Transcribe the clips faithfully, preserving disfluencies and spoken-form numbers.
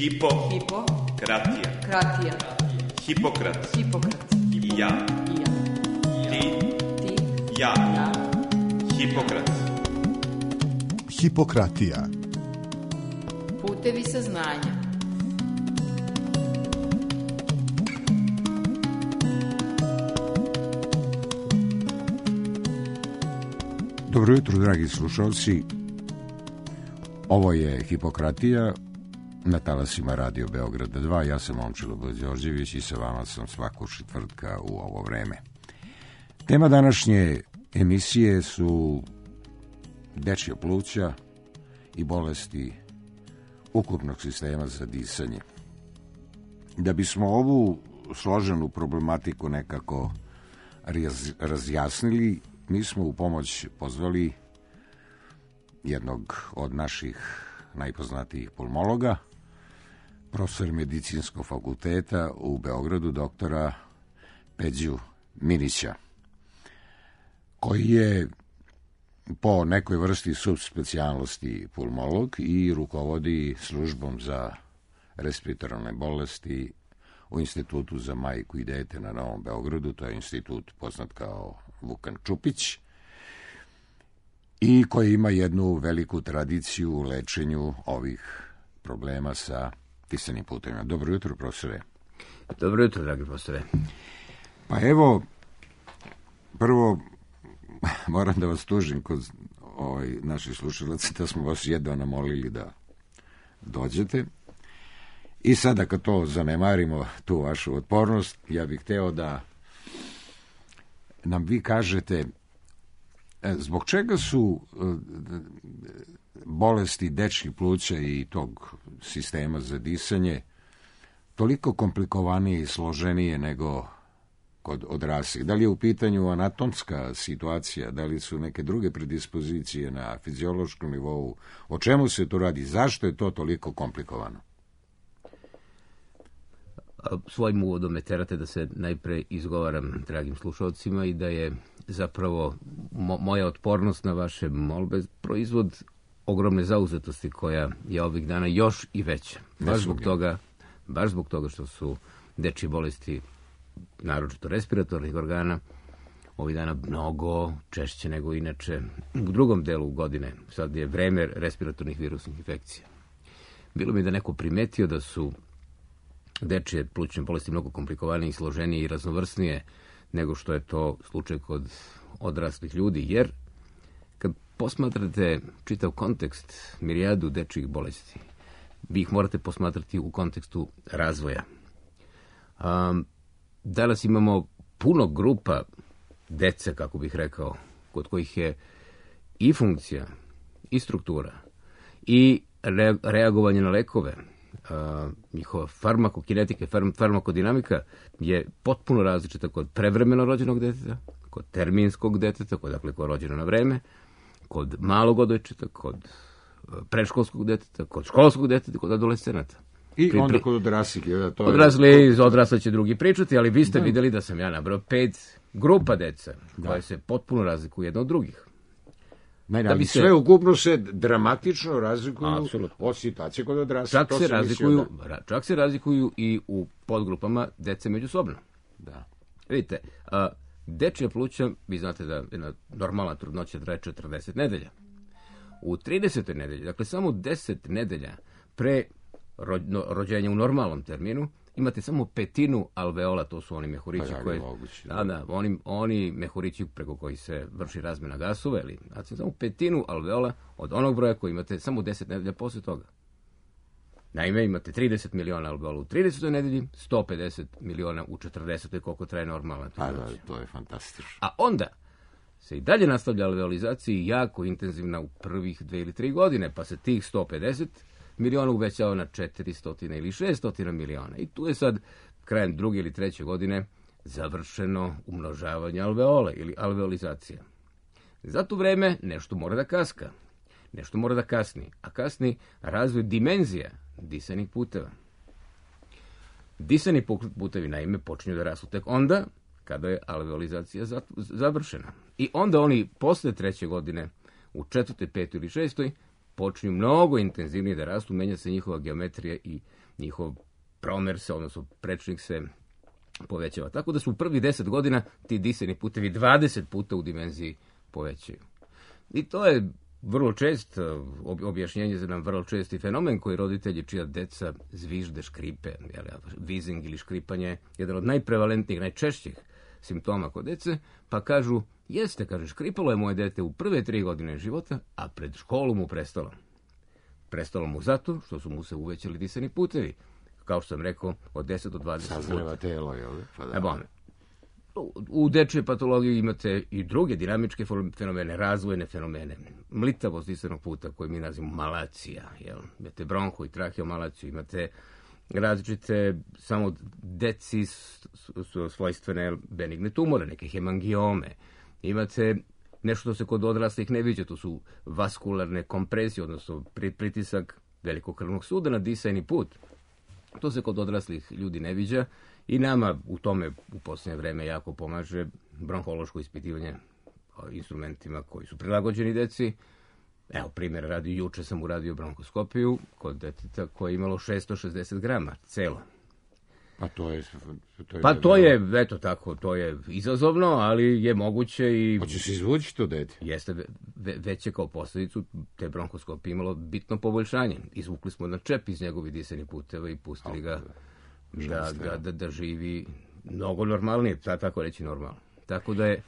Hipo. Hipo. Kratija. Kratija. Hipokrat. Hipokrat. I ja. I ja. Ti. Ti. Ja. Ja. Hipokrat. Hipokratija. Putevi saznanja. Dobro jutro, dragi slušalci. Ovo je Hipokratija na talasima Radio Beograda dva. Ja sam Momčilo Đorđević i sa vama sam svakog četvrtka u ovo vreme. Tema današnje emisije su dečja pluća i bolesti ukupnog sistema za disanje. Da bismo ovu složenu problematiku nekako raz, razjasnili, mi smo u pomoć pozvali jednog od naših najpoznatijih pulmologa, profesor medicinskog fakulteta u Beogradu, doktora Peđu Minića, koji je po nekoj vrsti subspecijalnosti pulmolog i rukovodi službom za respiratorne bolesti u Institutu za majku i dete na Novom Beogradu. To je institut poznat kao Vukan Čupić i koji ima jednu veliku tradiciju u lečenju ovih problema sa disanim putevima. Dobro jutro, profesore. Dobro jutro, dragi profesore. Pa evo, prvo moram da vas tužim kod ovaj, naših slušalaca da smo vas jedva namolili da dođete. I sada kad to zanemarimo, tu vašu otpornost, ja bih hteo da nam vi kažete zbog čega su bolesti dečjih pluća i tog sistema za disanje toliko komplikovanije i složenije nego kod odraslih. Da li je u pitanju anatomska situacija, da li su neke druge predispozicije na fiziološkom nivou, o čemu se to radi, zašto je to toliko komplikovano? Svojim uvodom me terate da se najpre izgovaram dragim slušalcima i da je zapravo mo- moja otpornost na vaše molbe proizvod ogromne zauzetosti koja je ovih dana još i veća. Baš zbog toga, baš zbog toga što su dečje bolesti, naročito respiratornih organa, ovih dana mnogo češće nego inače u drugom delu godine. Sad je vreme respiratornih virusnih infekcija. Bilo mi da neko primetio da su dečje plućne bolesti mnogo komplikovanije i složenije i raznovrsnije nego što je to slučaj kod odraslih ljudi, jer kad posmatrate čitav kontekst mirijadu dečjih bolesti, vi ih morate posmatrati u kontekstu razvoja. Um, danas imamo puno grupa dece, kako bih rekao, kod kojih je i funkcija, i struktura, i re- reagovanje na lekove, Uh, njihova farmakokinetika, farm, farmakodinamika je potpuno različita kod prevremeno rođenog deteta, kod terminskog deteta, kod, dakle, kod rođeno na vreme, kod malog odojčeta, kod uh, predškolskog deteta, kod školskog deteta, kod adolescenata. I pri, onda kod odraslih. To odrasli, je... odrasli će drugi pričati, ali vi ste da. vidjeli da sam ja nabrao pet grupa deca, da. koje se potpuno razlikuju jedno od drugih. Ne, da bi se... sve ukupno se dramatično razlikuju Apsolutno. od situacije kod odraslih. Čak se, razlikuju, da... čak se razlikuju i u podgrupama dece međusobno. Da. Vidite, a, dečja pluća, vi znate da jedna normalna trudnoća traje četrdeset nedelja. U tridesetoj nedelji, dakle samo deset nedelja pre ro, no, rođenja u normalnom terminu, imate samo petinu alveola, to su oni mehurići pa, koji... Moguće, da, da, oni, oni mehurići preko koji se vrši razmjena gasova, ili znači samo petinu alveola od onog broja koji imate samo deset nedelja posle toga. Naime, imate trideset miliona alveola u tridesetoj nedelji, sto pedeset miliona u četrdesetoj, koliko traje normalna trudnoća. A da, to je fantastično. A onda se i dalje nastavlja alveolizacija jako intenzivna u prvih dve ili tri godine, pa se tih sto pedeset miliona uvećao na četiristo ili šesto miliona. I tu je sad, krajem druge ili treće godine, završeno umnožavanje alveola ili alveolizacija. Za to vreme nešto mora da kaska, nešto mora da kasni, a kasni razvoj dimenzija disanih puteva. Disani putevi, naime, počinju da rastu tek onda kada je alveolizacija završena. I onda oni posle treće godine, u četvrtoj, petoj ili šestoj, počinju mnogo intenzivnije da rastu, menja se njihova geometrija i njihov promer se, odnosno prečnik se povećava. Tako da su u prvih deset godina ti disajni putevi dvadeset puta u dimenziji povećaju. I to je vrlo čest objašnjenje za nam vrlo česti fenomen koji roditelji čija deca zvižde, škripe, jel, vizing ili škripanje je jedan od najprevalentnijih, najčešćih simptoma kod dece, pa kažu, jeste, kaže, škripalo je moje dete u prve tri godine života, a pred školu mu prestalo. Prestalo mu zato što su mu se uvećali disajni putevi. Kao što sam rekao, od deset do dvadeset puta. Sazreva telo, jel? Pa da. E, bon. U dečjoj patologiji imate i druge dinamičke fenomene, razvojne fenomene. Mlitavost disajnog puta, koju mi nazivamo malacija. Jel? Imate bronhu i traheomalaciju, imate različite samo deci su svojstvene benigne tumore, neke hemangiome. Imate nešto što se kod odraslih ne viđa, to su vaskularne kompresije, odnosno pritisak velikog krvnog suda na disajni put. To se kod odraslih ljudi ne viđa i nama u tome u posljednje vreme jako pomaže bronhološko ispitivanje instrumentima koji su prilagođeni deci. Evo, primjer radi, juče sam uradio bronkoskopiju kod deteta koje je imalo šesto šezdeset grama, celo. Pa to je... To je pa to je, eto tako, to je izazovno, ali je moguće i... Hoće se izvući to dete? Jeste, ve, već je kao posljedicu te bronkoskopije imalo bitno poboljšanje. Izvukli smo na čep iz njegovih disajnih puteva i pustili ga da, da, da, da živi mnogo normalnije, tako reći normalno. Tako da je...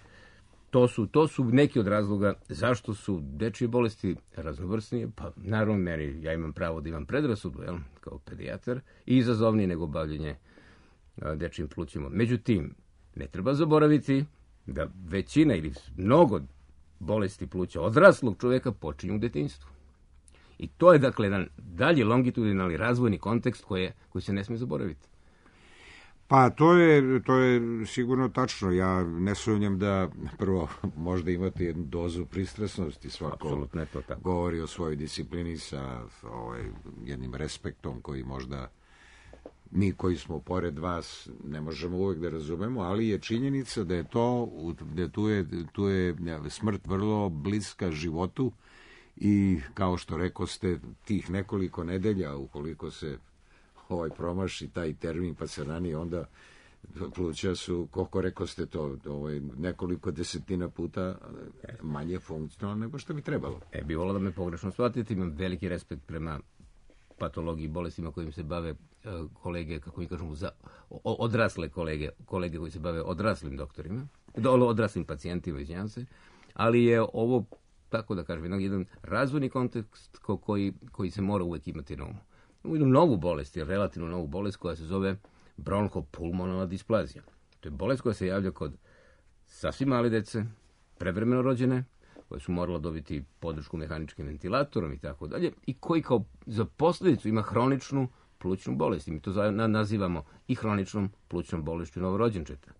To su, to su neki od razloga zašto su dečje bolesti raznovrsnije, pa naravno meni, ja imam pravo da imam predrasudu, jel, kao pedijatar, i izazovnije nego bavljenje a, dečjim plućima. Međutim, ne treba zaboraviti da većina ili mnogo bolesti pluća odraslog čovjeka počinju u detinjstvu. I to je, dakle, jedan dalji longitudinalni razvojni kontekst koji, koji se ne smije zaboraviti. Pa to je, to je sigurno tačno. Ja ne sumnjam da prvo možda imate jednu dozu pristrasnosti. Svako to tako. Govori o svojoj disciplini sa ovaj, jednim respektom koji možda mi koji smo pored vas ne možemo uvijek da razumemo, ali je činjenica da je to, da tu je, tu je smrt vrlo bliska životu i kao što rekoste, tih nekoliko nedelja, ukoliko se ovaj promaši taj termin pa se ranije, onda pluća su, koliko rekoste to, ovaj, nekoliko desetina puta manje funkcionalno nego što bi trebalo. E, bi volio da me pogrešno shvatite, imam veliki respekt prema patologiji, bolestima kojim se bave uh, kolege, kako mi kažemo, za, o, odrasle kolege, kolege koji se bave odraslim doktorima, odraslim pacijentima, izvinjavam se, ali je ovo, tako da kažem, jedan razvojni kontekst ko, koji, koji se mora uvijek imati na umu. Imamo jednu novu bolest, relativno novu bolest koja se zove bronhopulmonalna displazija. To je bolest koja se javlja kod sasvim male dece, prevremeno rođene, koje su morala dobiti podršku mehaničkim ventilatorom i tako dalje, i koji kao za posljedicu ima hroničnu plućnu bolest. I mi to nazivamo i hroničnom plućnom bolešću novorođenčeta.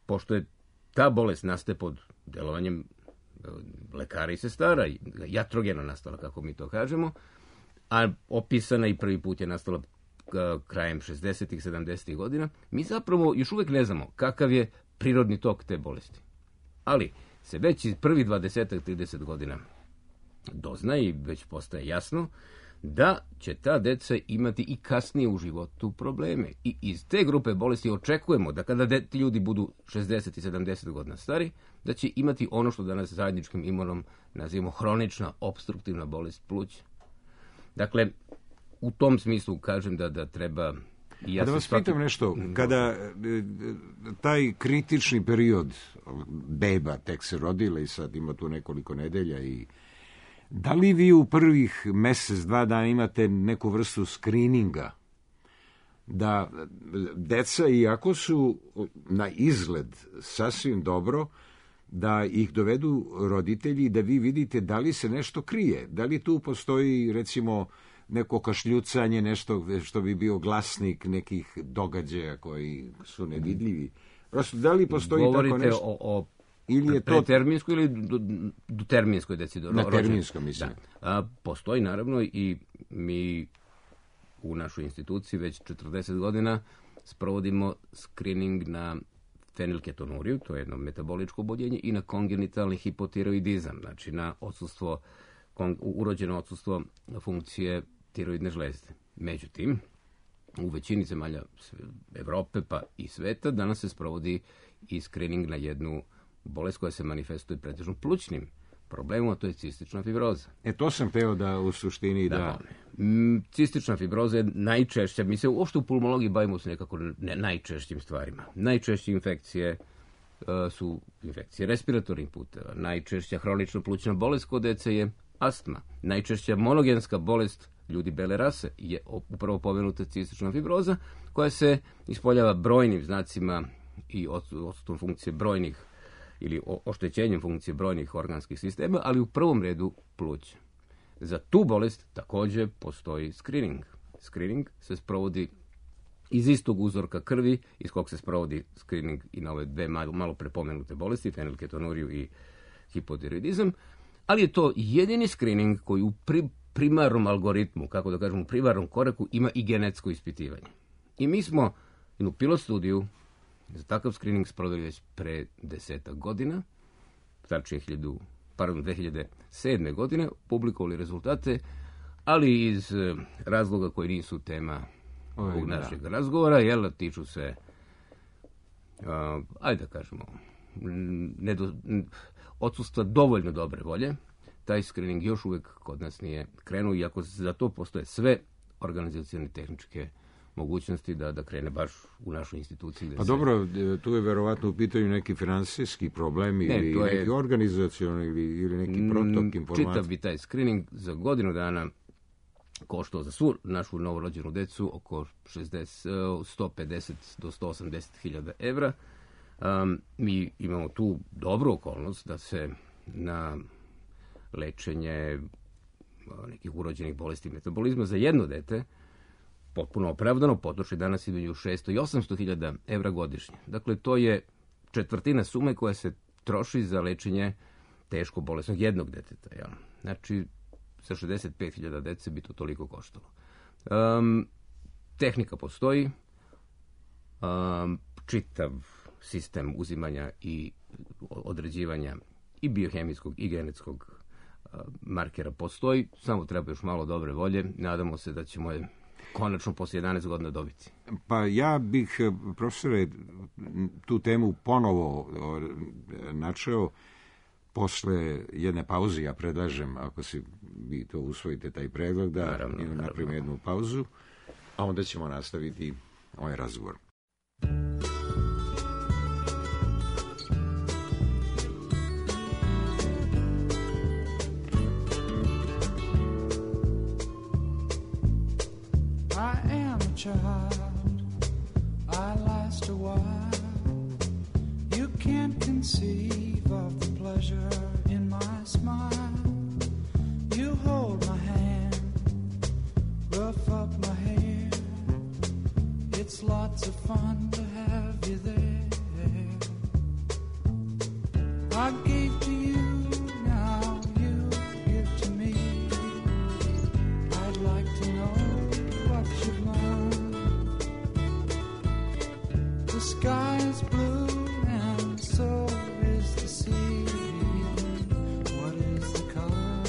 Pošto je ta bolest nastaje pod delovanjem lekara i sestara, jatrogeno nastala, kako mi to kažemo, a opisana i prvi put je nastala krajem šezdesetih, sedamdesetih godina, mi zapravo još uvijek ne znamo kakav je prirodni tok te bolesti. Ali se već iz prvih dvadeset trideset godina dozna i već postaje jasno da će ta deca imati i kasnije u životu probleme. I iz te grupe bolesti očekujemo da kada ti ljudi budu šezdeset i sedamdeset godina stari, da će imati ono što danas zajedničkim imenom nazivamo hronična opstruktivna bolest pluća. Dakle, u tom smislu kažem da, da treba... I ja da vas svaki... pitam nešto, kada taj kritični period beba tek se rodila i sad ima tu nekoliko nedelja, i da li vi u prvih mjesec, dva dana imate neku vrstu skrininga da deca, iako su na izgled sasvim dobro, da ih dovedu roditelji i da vi vidite da li se nešto krije, da li tu postoji recimo neko kašljucanje, nešto što bi bio glasnik nekih događaja koji su nevidljivi. Prosto, da li postoji Govorite tako nešto? o, o ili je to preterminskoj ili do, do terminskoj deci? Do, na terminskoj, mislim. Da. A, postoji naravno i mi u našoj instituciji već četrdeset godina sprovodimo screening na fenilketonuriju, to je jedno metaboličko oboljenje, i na kongenitalni hipotiroidizam, znači na odsustvo, urođeno odsustvo funkcije tiroidne žlezde. Međutim, u većini zemalja Evrope pa i sveta danas se sprovodi i screening na jednu bolest koja se manifestuje pretežno plućnim problemom, a to je cistična fibroza. E, to sam teo da u suštini da... da m, cistična fibroza je najčešća, mi se uopšte u pulmologiji bavimo se nekako ne, najčešćim stvarima. Najčešće infekcije uh, su infekcije respiratornih puteva, najčešća hronična plućna bolest kod dece je astma, najčešća monogenska bolest ljudi bele rase je upravo pomenuta cistična fibroza, koja se ispoljava brojnim znacima i odsutom funkcije brojnih ili oštećenjem funkcije brojnih organskih sistema, ali u prvom redu pluća. Za tu bolest također postoji screening. Screening se sprovodi iz istog uzorka krvi, iz kog se sprovodi screening i na ove dve malo, malo prepomenute bolesti, fenilketonuriju i hipotiroidizam, ali je to jedini screening koji u pri, primarnom algoritmu, kako da kažem, u primarnom koraku ima i genetsko ispitivanje. I mi smo jednu pilot studiju za takav screening sproveli već pre desetak godina, tačnije dve hiljade sedme. godine, publikovali rezultate, ali iz razloga koji nisu tema Oj, ovog da. našeg razgovora, jel, tiču se, uh, ajde da kažemo, nedo, odsustva dovoljno dobre volje, taj screening još uvijek kod nas nije krenuo, iako za to postoje sve organizacione tehničke mogućnosti da, da krene baš u našoj instituciji. Gde Pa se... dobro, tu je verovatno u pitanju neki finansijski problem ili Ne, to je- neki organizacioni ili, ili neki protok Mm, informacija. Čitav bi taj screening za godinu dana koštao za svu našu novorođenu decu oko šezdeset, sto pedeset do sto osamdeset hiljada evra. Um, mi imamo tu dobru okolnost da se na lečenje a, nekih urođenih bolesti metabolizma za jedno dete potpuno opravdano potroši danas između šesto i osamsto hiljada evra godišnje. Dakle, to je četvrtina sume koja se troši za lečenje teško bolesnog jednog deteta. Ja. Znači, sa šezdeset pet hiljada dece bi to toliko koštalo. Um, tehnika postoji, um, čitav sistem uzimanja i određivanja i biohemijskog i genetskog uh, markera postoji, samo treba još malo dobre volje. Nadamo se da ćemo je konačno posle jedanaest godina dobiti. Pa ja bih, profesore, tu temu ponovo o, načeo posle jedne pauze. Ja predlažem, ako si vi to usvojite, taj predlog, da Naravno, naravno. napravimo jednu pauzu, a onda ćemo nastaviti ovaj razgovor. I am a child, I last a while. You can't conceive of the pleasure in my smile. You hold my hand, rough up my hair. It's lots of fun to have you there. I gave to you, now you give to me. I'd like to know what you've learned. The sky is blue and so is the sea. What is the color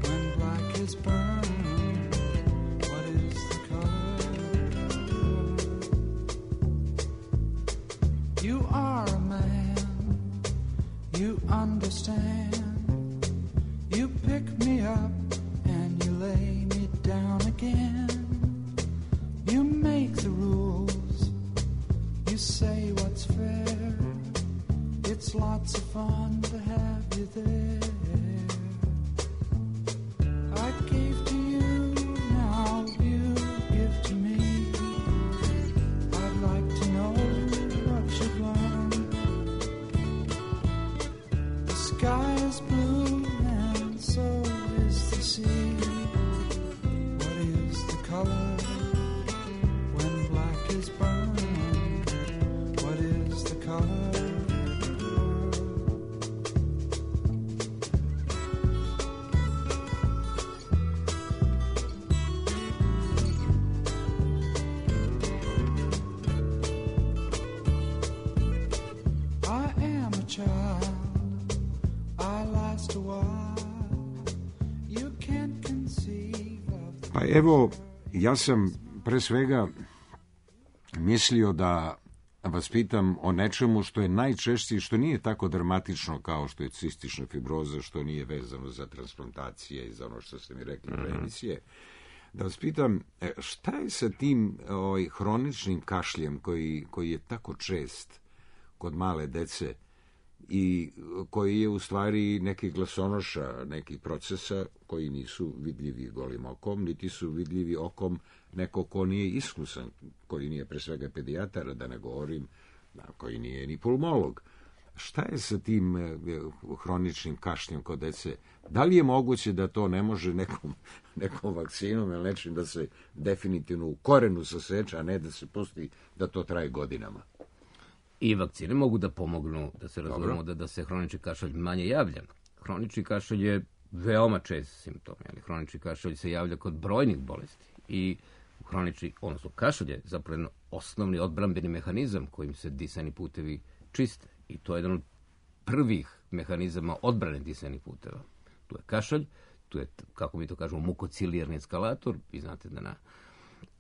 when black is burned? What is the color? You are a man, you understand. You pick me up and you lay me down again. You make the rules, you say what's fair. It's lots of fun to have you there. I gave to you, now you give to me. I'd like to know what you've learned. The sky is blue and so is the sea. What is the color when black is burned? What is the color? I am a child, I last a while. You can't conceive of the Pa evo, ja sam pre svega mislio da vas pitam o nečemu što je najčešće i što nije tako dramatično kao što je cistična fibroza, što nije vezano za transplantacije i za ono što ste mi rekli pre emisije. Da vas pitam, šta je sa tim ovaj, hroničnim kašljem koji, koji je tako čest kod male dece i koji je u stvari neki glasonoša, nekih procesa koji nisu vidljivi golim okom, niti su vidljivi okom neko ko nije iskusan, koji nije pre svega pedijatara, da ne govorim, koji nije ni pulmolog. Šta je sa tim hroničnim kašljem kod dece? Da li je moguće da to ne može nekom, nekom vakcinom ili nečim da se definitivno u korenu saseče, a ne da se pusti da to traje godinama? I vakcine mogu da pomognu da se razumemo da, da se hronični kašalj manje javlja. Hronični kašalj je veoma čest simptom, ali hronični kašalj se javlja kod brojnih bolesti i hronični, odnosno kašalj je zapravo osnovni odbrambeni mehanizam kojim se disajni putevi čiste. I to je jedan od prvih mehanizama odbrane disajnih puteva. Tu je kašalj, tu je, kako mi to kažemo, mukocilijarni eskalator. Vi znate da na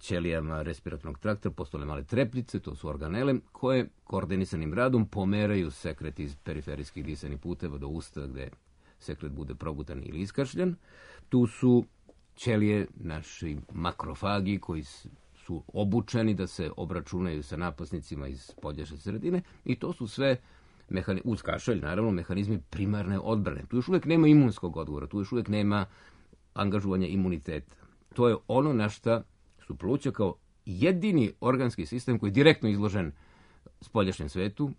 ćelijama respiratornog trakta postoje male trepljice, to su organele, koje koordinisanim radom pomeraju sekret iz periferijskih disajnih puteva do usta gde sekret bude progutan ili iskašljan. Tu su ćelije, naši makrofagi koji su obučeni da se obračunaju sa napasnicima iz spoljašnje sredine i to su sve mehani, uz kašalj, naravno, mehanizmi primarne odbrane. Tu još uvijek nema imunskog odgovora, tu još uvijek nema angažovanja imuniteta. To je ono na šta su pluća kao jedini organski sistem koji je direktno izložen spoljašnjem svetu,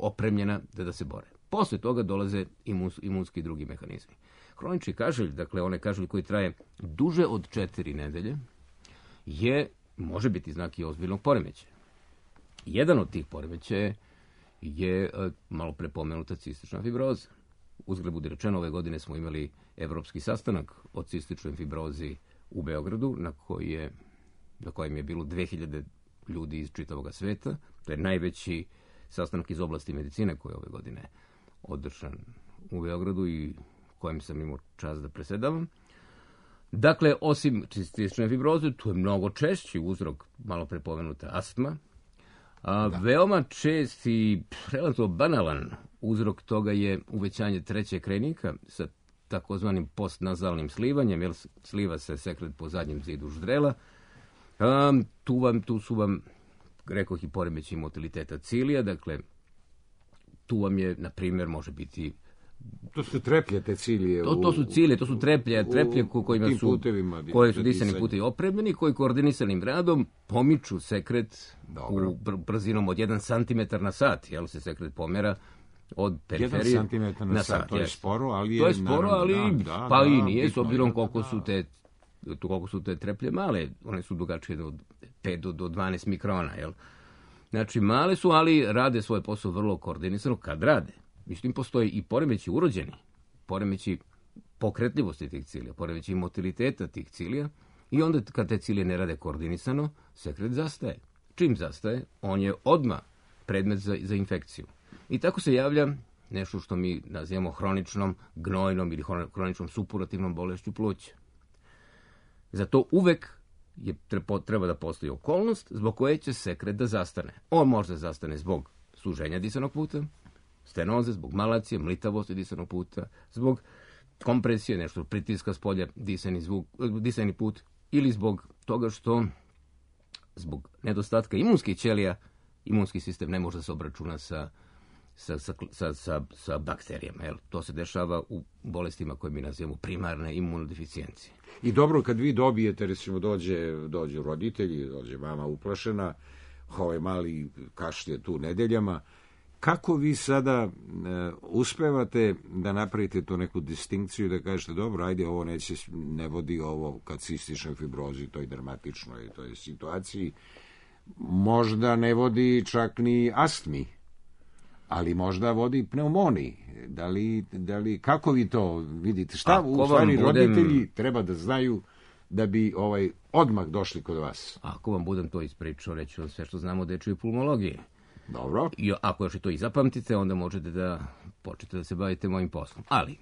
opremljena da, da se bore. Posle toga dolaze imuns, imunski drugi mehanizmi. Hronični kašalj, dakle onaj kašalj koji traje duže od četiri nedelje, je, može biti znak i ozbiljnog poremećaja. Jedan od tih poremećaja je malo prepomenuta cistična fibroza. Uzgled budi rečeno, ove godine smo imali evropski sastanak o cističnoj fibrozi u Beogradu, na, koji je, na kojem je bilo dve hiljade ljudi iz čitavog sveta. To je najveći sastanak iz oblasti medicine koji je ove godine održan u Beogradu i kojem sam imao čast da presedavam. Dakle, osim cistične fibroze, tu je mnogo češći uzrok, malo prepomenuta astma. A, veoma čest i relativno banalan uzrok toga je uvećanje trećeg krajnika sa takozvanim postnazalnim slivanjem, jer sliva se sekret po zadnjem zidu ždrela. A, tu, vam, tu su vam, rekoh, i poremećaj motiliteta cilija, dakle, tu vam je, na primjer, može biti... To su treplje te cilije. To, to su cilije, to su treplje, treplje ko, kojima su, putevima, koje su disani putevi opremljeni, koji koordinisanim radom pomiču sekret Dobro. u brzinom od jedan centimetar na sat, jel se sekret pomera od periferije jedan centimetar na, na sat. sat. To je sporo, ali je... To je sporo, ali da, da, pa da, i nije, s bitno, obzirom da, koliko da. su te koliko su te treplje male, one su dugačke od pet do dvanaest mikrona, jel? Znači, male su, ali rade svoj posao vrlo koordinisano kad rade. Mislim, postoji i poremeći urođeni, poremeći pokretljivosti tih cilija, poremeći motiliteta tih cilija i onda kad te cilije ne rade koordinisano, sekret zastaje. Čim zastaje, on je odmah predmet za, za infekciju. I tako se javlja nešto što mi nazivamo hroničnom gnojnom ili hroničnom supurativnom bolešću pluća. Zato uvek je, treba da postoji okolnost zbog koje će sekret da zastane. On može da zastane zbog suženja disanog puta, stenoze, zbog malacije, mlitavosti disanog puta, zbog kompresije, nešto pritiska s polja, disani, zvuk, disani put, ili zbog toga što zbog nedostatka imunskih ćelija imunski sistem ne može da se obračuna sa, sa, sa, sa, sa, sa bakterijama. Jel? To se dešava u bolestima koje mi nazivamo primarne imunodeficijencije. I dobro, kad vi dobijete, recimo, dođe, dođe roditelji, dođe mama uplašena, ovaj mali kašlje tu nedeljama, kako vi sada e, uspevate da napravite tu neku distinkciju, da kažete, dobro, ajde, ovo neće, ne vodi ovo kad cističnoj fibrozi, toj dramatičnoj toj situaciji, možda ne vodi čak ni astmi, ali možda vodi pneumoniji. Da li, da li, kako vi to vidite? Šta Ako u stvari budem... roditelji treba da znaju da bi ovaj odmah došli kod vas? Ako vam budem to ispričao, reći vam sve što znamo o dečjoj pulmologiji. Dobro. I ako još i to i zapamtite, onda možete da počnete da se bavite mojim poslom. Ali,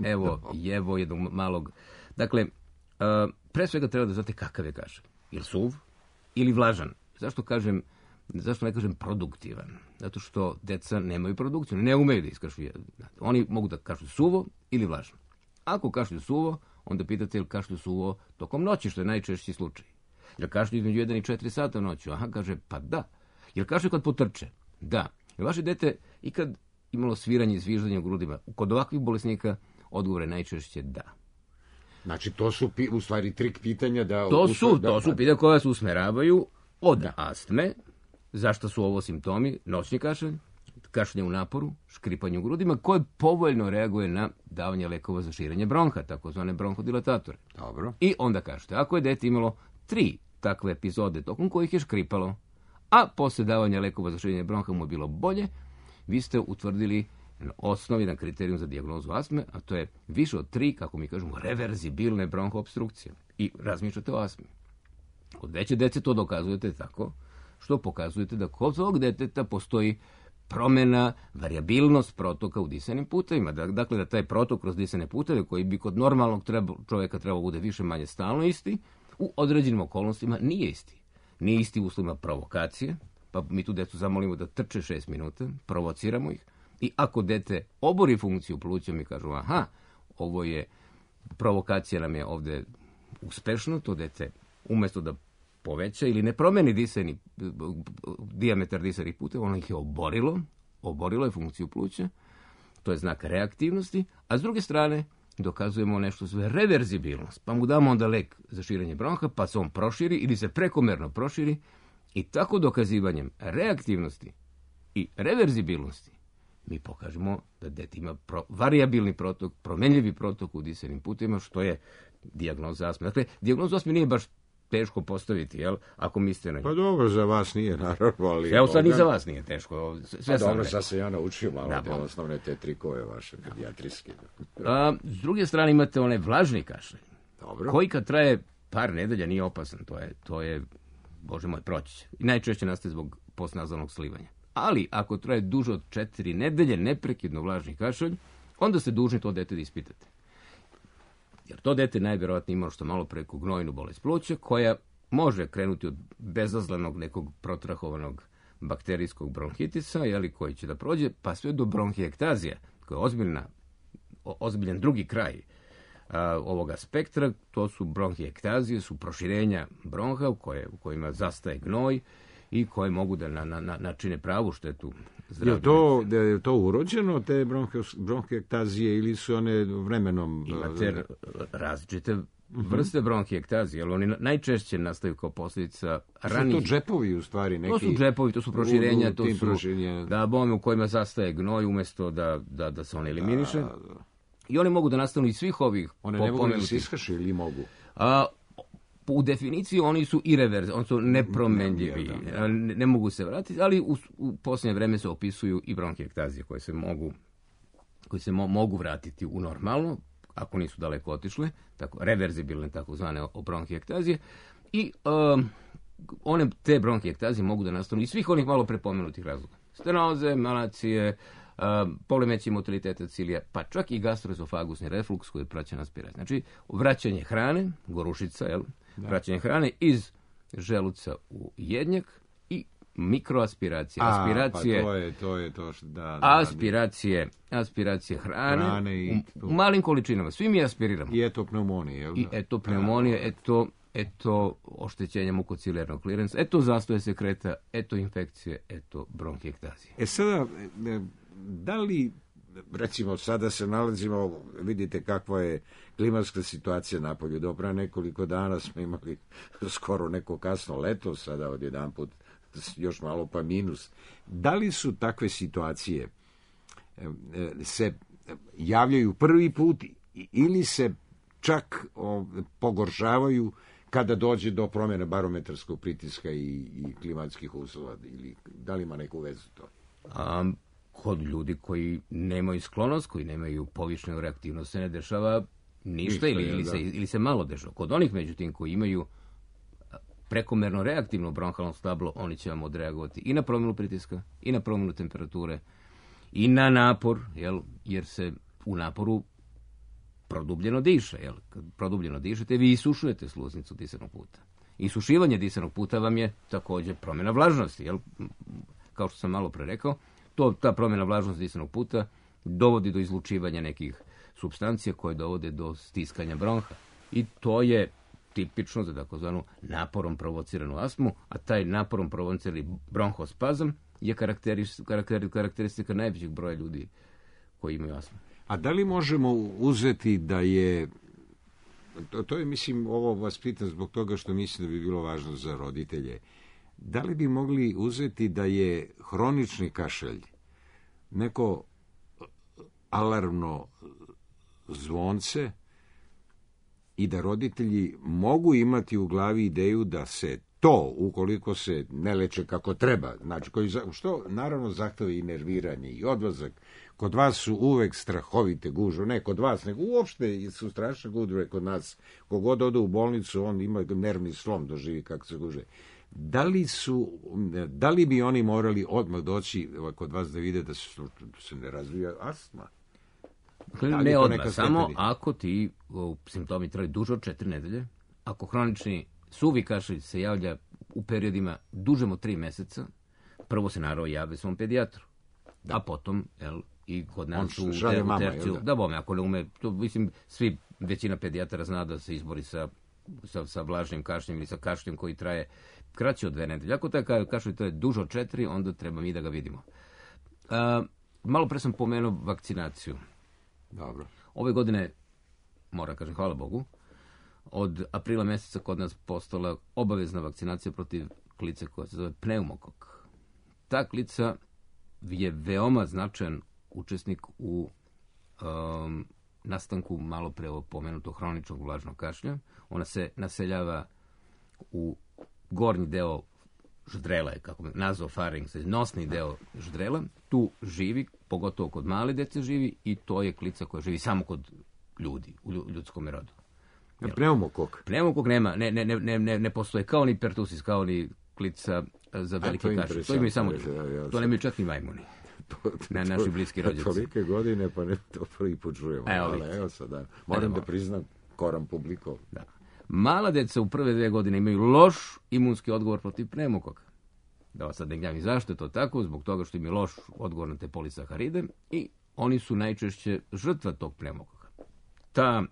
evo, evo jednog malog... Dakle, uh, pre svega treba da znate kakav je kašalj. ili suv, ili vlažan. Zašto kažem, zašto ne kažem produktivan? Zato što deca nemaju produkciju, ne umeju da iskašlju. Oni mogu da kašlju suvo ili vlažno. Ako kašlju suvo, onda pitate ili kašlju suvo tokom noći, što je najčešći slučaj. Jel kašlju između jedan i četiri sata noću? Aha, kaže, pa da. Jel kašlju kad potrče? Da. Jel vaše dete ikad imalo sviranje i zviždanje u grudima? Kod ovakvih bolesnika odgovor je najčešće da. Znači, to su pi, u stvari trik pitanja da... To su, da, to su pitanja koja se usmeravaju od da. astme, zašto su ovo simptomi, noćni kašalj, kašljenje u naporu, škripanje u grudima, koje povoljno reaguje na davanje lekova za širenje bronha, takozvane bronhodilatatore. Dobro. I onda kažete, ako je dete imalo tri takve epizode tokom kojih je škripalo, a posle davanja lekova za širenje bronha mu je bilo bolje, vi ste utvrdili osnovi na kriterijum za dijagnozu astme, a to je više od tri, kako mi kažemo, reverzibilne bronhoobstrukcije. I razmišljate o astmi. Kod veće dece to dokazujete tako što pokazujete da kod ovog deteta postoji promjena, variabilnost protoka u disanim putevima. Dakle, da taj protok kroz disane puteve, koji bi kod normalnog treba, čovjeka trebao bude više manje stalno isti, u određenim okolnostima nije isti. Nije isti u uslovima provokacije, pa mi tu decu zamolimo da trče šest minuta, provociramo ih, i ako dete obori funkciju pluća, mi kažu, aha, ovo je, provokacija nam je ovdje uspešno, to dete umjesto da poveća ili ne promeni disani, dijametar disanih puteva, ono ih je oborilo, oborilo je funkciju pluća, to je znak reaktivnosti, a s druge strane dokazujemo nešto zove reverzibilnost, pa mu damo onda lek za širenje bronha, pa se on proširi ili se prekomerno proširi i tako dokazivanjem reaktivnosti i reverzibilnosti mi pokažemo da dete ima pro, variabilni protok, promenljivi protok u disanim putevima, što je dijagnoza astme. Dakle, dijagnoza astme nije baš teško postaviti, jel? Ako mislite na nju. Pa dobro, za vas nije, naravno, ali... Evo sad ni za vas nije teško. Sve pa sam dobro, rekao. sad se ja naučio malo Da, te pa. osnovne te trikove vaše pedijatrijske. A, s druge strane imate onaj vlažni kašalj, Dobro. koji kad traje par nedelja nije opasan. To je, to je Bože moj, proći će. I najčešće nastaje zbog postnazalnog slivanja. Ali ako traje duže od četiri nedelje neprekidno vlažni kašalj, onda ste dužni to dete da ispitate. Jer to dete najvjerojatnije ima što malo preko gnojnu bolest pluća, koja može krenuti od bezazlenog nekog protrahovanog bakterijskog bronhitisa, jeli, koji će da prođe, pa sve do bronhijektazija, koja je ozbiljna, o, ozbiljan drugi kraj a, ovoga spektra. To su bronhijektazije, su proširenja bronha u, koje, u kojima zastaje gnoj i koje mogu da na, na, načine pravu štetu zdravlju. Je to, je to urođeno, te bronhijektazije, ili su one vremenom... Imate različite vrste bronhijektazije, ali oni najčešće nastaju kao posljedica ranih... Su to džepovi, u stvari, neki... To su džepovi, to su proširenja, u, u to su proširenja. Da, bome u kojima zastaje gnoj umjesto da, da, da se on eliminiše. Da, da. I oni mogu da nastanu iz svih ovih... One ne mogu da se ishaše ili mogu? A, u definiciji oni su irreverzibilni, oni su nepromenljivi, Da, da, da. ne, ne mogu se vratiti, ali u, u posljednje vreme se opisuju i bronhijektazije koje se mogu, koje se mo, mogu vratiti u normalno, ako nisu daleko otišle, tako, reverzibilne takozvane bronhijektazije, i um, one te bronhijektazije mogu da nastanu iz svih onih malo prepomenutih razloga. Stenoze, malacije, um, poremećaj motiliteta cilija, pa čak i gastroezofagusni refluks koji je praćen aspiracijom. Znači, vraćanje hrane, gorušica, jel? Da. Vraćanje hrane iz želuca u jednjak i mikroaspiracija. A, aspiracije, pa to je to, je to što, da, da, aspiracije, aspiracije hrane, hrane i, u, u malim količinama. Svi mi aspiriramo. I etopneumonije, jel da? I eto pneumonija, eto, eto oštećenje mukocilarnog klirenca, eto zastoje sekreta, eto infekcije, eto bronhijektazije. E sada, da li, recimo, sada se nalazimo, vidite kakva je klimatska situacija napolju. Do pre nekoliko dana smo imali skoro neko kasno leto, sada odjedanput još malo pa minus. Da li su takve situacije se javljaju prvi put ili se čak o, pogoršavaju kada dođe do promjene barometarskog pritiska i, i klimatskih uslova, ili da li ima neku vezu to? A, kod ljudi koji nemaju sklonost, koji nemaju povišenu reaktivnost, se ne dešava ništa, ništa ili, ili, se, ili se malo dešava. Kod onih, međutim, koji imaju prekomerno reaktivno bronhalno stablo, oni će vam odreagovati i na promjenu pritiska, i na promjenu temperature, i na napor, jel, jer se u naporu produbljeno diše. Jel? Kad produbljeno dišete, vi isušujete sluznicu disanog puta. Isušivanje disanog puta vam je također promjena vlažnosti, jel? Kao što sam malo pre rekao, to, ta promjena vlažnosti disanog puta dovodi do izlučivanja nekih supstancija koje dovode do stiskanja bronha. I to je tipično za takozvanu naporom provociranu astmu, a taj naporom provocirani bronhospazam je karakteristika najvećeg broja ljudi koji imaju astmu. A da li možemo uzeti da je, to, to je, mislim, ovo vas pitam zbog toga što mislim da bi bilo važno za roditelje, da li bi mogli uzeti da je hronični kašalj neko alarmno zvonce i da roditelji mogu imati u glavi ideju da se to, ukoliko se ne leče kako treba, znači, koji, što naravno zahteva i nerviranje i odlazak. Kod vas su uvek strahovite gužve, ne kod vas, nego uopšte su strašne gužve kod nas. Kogod ode u bolnicu, on ima nervni slom, doživi kako se guže. Da li, su, da li bi oni morali odmah doći kod vas da vide da se, da se ne razvija astma? Da ne odmah, samo ako ti o, simptomi traju duže od četiri nedelje, ako hronični suvi kašalj se javlja u periodima dužem od tri meseca, prvo se naravno jave svom pedijatru, da. A potom, jel, i kod nas u terciju, da bome, ako ne ume, to, mislim, svi, većina pedijatara zna da se izbori sa, sa, sa vlažnim kašljem ili sa kašljem koji traje kraće od dve nedelje. Ako taj kašalj traje duže od četiri, onda treba mi da ga vidimo. A, malo pre sam pomenuo vakcinaciju. Dobro. Ove godine, moram kažem, hvala Bogu, od aprila mjeseca kod nas postala obavezna vakcinacija protiv klice koja se zove pneumokok. Ta klica je veoma značajan učesnik u um, nastanku malo pre pomenutog hroničnog vlažnog kašlja. Ona se naseljava u gornji deo ždrela, kako nazofaring, nosni deo ždrela. Tu živi, pogotovo kod male dece živi, i to je klica koja živi samo kod ljudi, u ljudskom rodu. Pneumokok? Pneumokok nema, ne, ne, ne, ne, ne postoje kao ni pertusis, kao ni klica za velike kašlje. To imaju samo ljudi. To nemaju čak ni majmuni. Na naši bliski rođaci. Tolike godine, pa ne to prvi put čujemo. Evo, ali evo sada, moram da priznam, koram publiko. Da. Mala deca u prve dve godine imaju loš imunski odgovor protiv pneumokoka. Da vas sad ne gnjavim zašto je to tako, zbog toga što im je loš odgovor na te polisaharide i oni su najčešće žrtva tog pneumokoka. Ta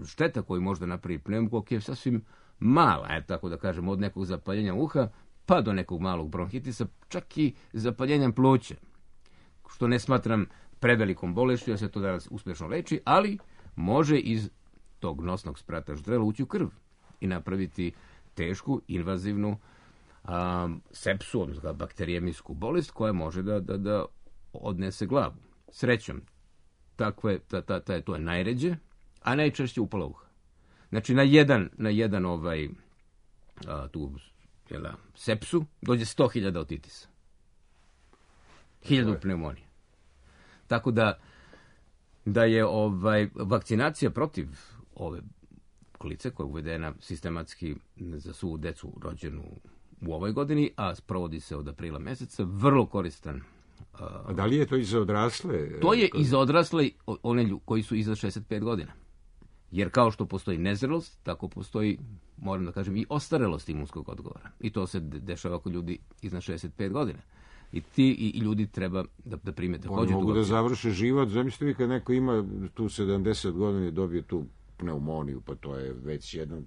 šteta koju možda napravi pneumokok je sasvim mala, je, tako da kažem, od nekog zapaljenja uha pa do nekog malog bronhitisa, čak i zapaljenja pluća, što ne smatram prevelikom bolešću, ja se to danas uspješno leči, ali može iz tog nosnog sprata ždrela ući u krv i napraviti tešku, invazivnu a, sepsu, odnosno bakterijemijsku bolest koja može da, da, da odnese glavu. Srećom, takve, ta, ta, ta, to je najređe, a najčešće upala uha. Znači, na jedan, na jedan ovaj, a, tu, jela, sepsu dođe sto hiljada otitisa. Hiljadu pneumonije. Tako da, da je ovaj, vakcinacija protiv ove klice, koja je uvedena sistematski za svu decu rođenu u ovoj godini, a sprovodi se od aprila meseca, vrlo koristan. A da li je to i za odrasle? To je i za odrasle, one koji su iza šezdeset pet godina. Jer kao što postoji nezrelost, tako postoji, moram da kažem, i ostarelost imunskog odgovora. I to se dešava kod ljudi iznad šezdeset pet godina. I ti i, i ljudi treba da, da prime također. Oni mogu da završe život. Zamislite vi kad neko ima tu sedamdeset godina i dobije tu pneumoniju, pa to je već jedan,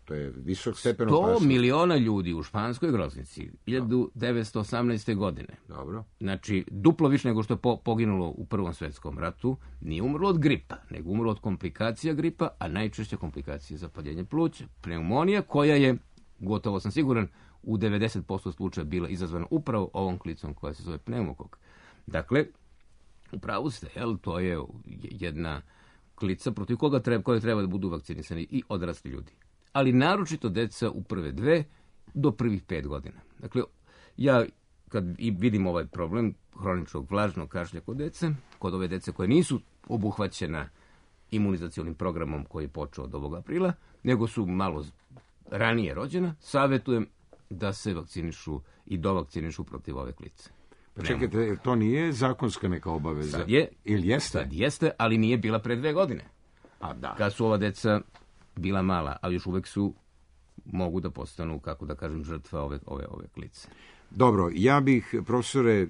to je visok stepen opasnosti. sto miliona ljudi u španskoj groznici hiljadu devetsto osamnaeste. godine. Dobro. Znači, duplo više nego što je po, poginulo u Prvom svjetskom ratu, nije umrlo od gripa, nego umrlo od komplikacija gripa, a najčešće komplikacije zapaljenja pluća. Pneumonija koja je, gotovo sam siguran, u devedeset posto slučaja bila izazvana upravo ovom klicom koja se zove pneumokok. Dakle, u pravu ste, jel, to je jedna klica protiv koga treba, koje treba da budu vakcinisani i odrasli ljudi. Ali naročito deca u prve dve do prvih pet godina. Dakle, ja kad i vidim ovaj problem hroničnog vlažnog kašlja kod dece, kod ove dece koje nisu obuhvaćena imunizacionim programom koji je počeo od ovog aprila, nego su malo ranije rođena, savjetujem da se vakcinišu i dovakcinišu protiv ove klice. Pa čekajte, to nije zakonska neka obaveza? Sad je, ili jeste? Sad jeste, ali nije bila pre dve godine. A da. Kad su ova deca bila mala, ali još uvek su mogu da postanu, kako da kažem, žrtva ove, ove, ove klice. Dobro, ja bih, profesore,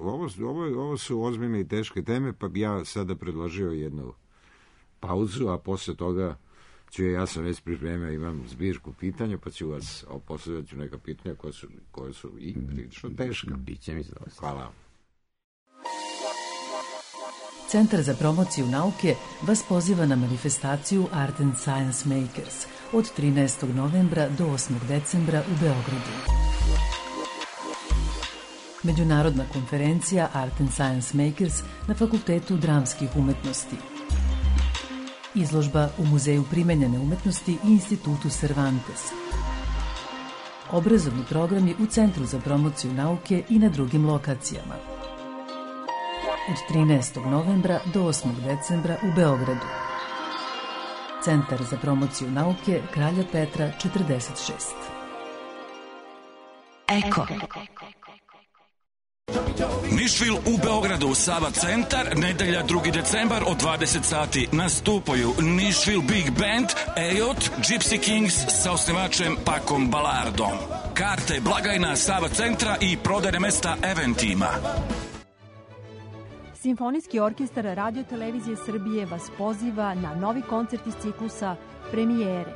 ovo, ovo, ovo su ozbiljne i teške teme, pa bi ja sada predložio jednu pauzu, a posle toga ću, ja sam već pripremio, imam zbirku pitanja, pa ću vas postavljati neka pitanja koja su, koje su i prilično teška. Biće mi zadovoljstvo. Hvala. Centar za promociju nauke vas poziva na manifestaciju Art and Science Makers od trinaestog novembra do osmog decembra u Beogradu. Međunarodna konferencija Art and Science Makers na Fakultetu dramskih umetnosti. Izložba u Muzeju primenjene umetnosti i Institutu Cervantes. Obrazovni programi u Centru za promociju nauke i na drugim lokacijama. Od trinaestog novembra do osmog decembra u Beogradu. Centar za promociju nauke Kralja Petra četrdeset šest. Eko. Nišvil u Beogradu, Sava centar, nedelja drugi decembar od dvadeset sati nastupaju Nišvil Big Band, Ejot, Gypsy Kings sa osnivačem Pakom Balardom. Karte, blagajna Sava centra i prodajne mesta Eventima. Simfonijski orkestar Radio Televizije Srbije vas poziva na novi koncert iz ciklusa Premijere.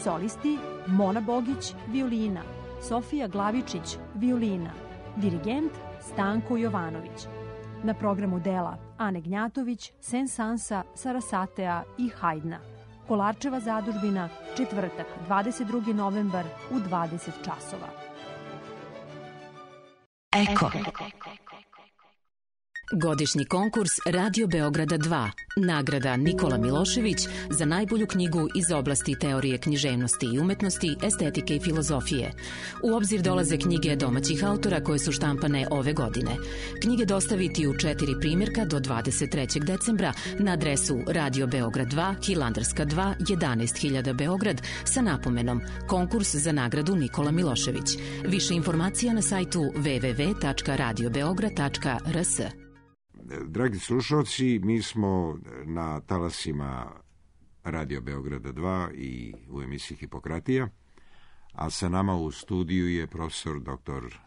Solisti Mona Bogić, violina, Sofija Glavičić, violina, dirigent Stanko Jovanović. Na programu dela Ane Gnjatović, Sensansa, Sarasatea i Hajdna. Kolarčeva zadužbina, četvrtak, dvadeset drugi novembar u dvadeset časova. Eko. Godišnji konkurs Radio Beograda dva. Nagrada Nikola Milošević za najbolju knjigu iz oblasti teorije književnosti i umetnosti, estetike i filozofije. U obzir dolaze knjige domaćih autora koje su štampane ove godine. Knjige dostaviti u četiri primjerka do dvadeset trećeg decembra na adresu Radio Beograd dva, Hilandarska dva, jedanaest hiljada Beograd sa napomenom Konkurs za nagradu Nikola Milošević. Više informacija na sajtu w w w tačka radio beograd tačka r s. Dragi slušalci, mi smo na talasima Radio Beograda dva i u emisiji Hipokratija, a sa nama u studiju je profesor doktor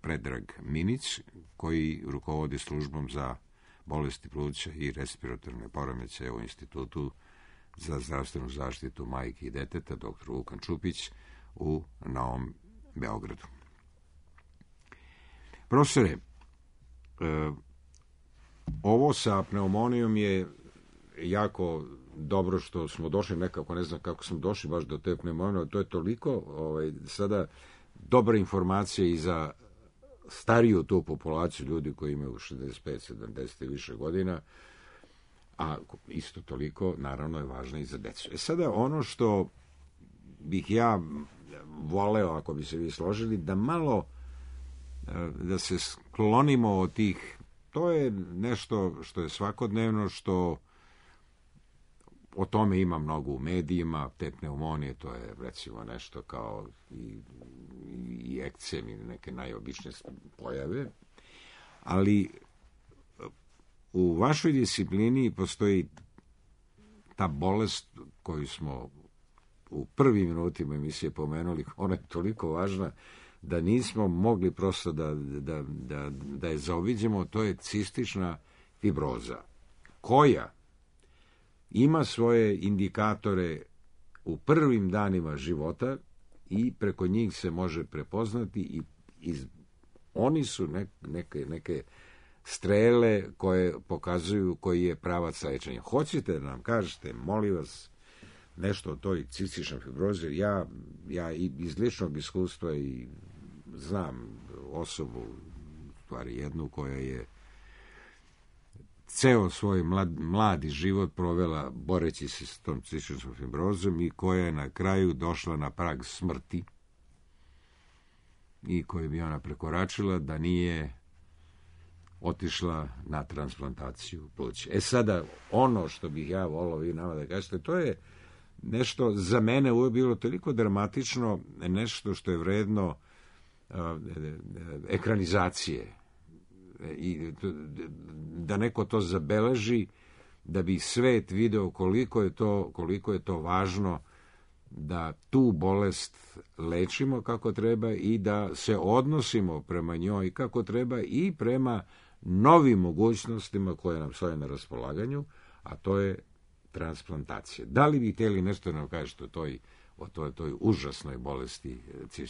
Predrag Minić, koji rukovodi službom za bolesti pluća i respiratorne poremećaje u Institutu za zdravstvenu zaštitu majke i deteta, doktor Vukan Čupić, u Novom Beogradu. Profesore, E, ovo sa pneumonijom je jako dobro što smo došli, nekako ne znam kako smo došli baš do te pneumonije, to je toliko ovaj, sada dobra informacija i za stariju tu populaciju ljudi koji imaju šezdeset pet sedamdeset i više godina, a isto toliko naravno je važno i za decu. E sada ono što bih ja voleo, ako bi se vi složili, da malo da se sklonimo od tih, to je nešto što je svakodnevno, što o tome ima mnogo u medijima, te pneumonije, to je recimo nešto kao i, i ekcem ili neke najobičnije pojave, ali u vašoj disciplini postoji ta bolest koju smo u prvim minutima emisije pomenuli, ona je toliko važna da nismo mogli prosto da, da, da, da je zaobiđemo, to je cistična fibroza, koja ima svoje indikatore u prvim danima života i preko njih se može prepoznati i iz, oni su ne, neke, neke strele koje pokazuju koji je pravac lečenja. Hoćete da nam kažete, molim vas, nešto o toj cističnoj fibrozi? Ja, ja iz ličnog iskustva i znam osobu, stvari jednu, koja je ceo svoj mlad, mladi život provela boreći se s tom cističnom fibrozom i koja je na kraju došla na prag smrti i koju bi ona prekoračila da nije otišla na transplantaciju pluća. E sada, ono što bih ja volao vi nama da kažete, to je nešto za mene uvijek bilo toliko dramatično, nešto što je vredno uh, ekranizacije. I da neko to zabeleži, da bi svet video koliko je to, koliko je to važno da tu bolest lečimo kako treba i da se odnosimo prema njoj kako treba i prema novim mogućnostima koje nam stoje na raspolaganju, a to je transplantacija. Da li bi htjeli nešto nam kažete o toj, o toj, toj užasnoj bolesti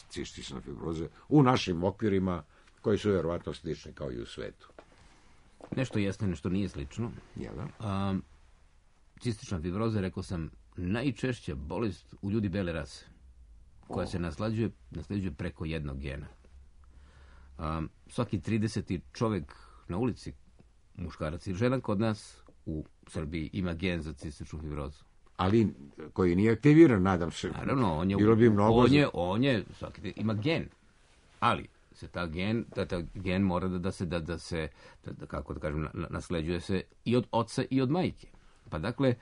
cistične fibroze u našim okvirima koji su vjerovatno slični kao i u svetu? Nešto jeste, nešto nije slično. Jel da? A, cistična fibroza, rekao sam, najčešća bolest u ljudi bele rase, koja se naslađuje, naslađuje preko jednog gena. A, svaki trideseti čovjek na ulici, muškarac i žena kod nas u Srbiji ima gen za cističnu fibrozu. Ali koji nije aktiviran, nadam se. Naravno, on je, Bilo bi mnogo... on je, on je svaki, ima gen, ali se ta gen, ta, ta gen mora da, da se, da, da se da, da, kako da kažem, na, nasleđuje se i od oca i od majke. Pa dakle,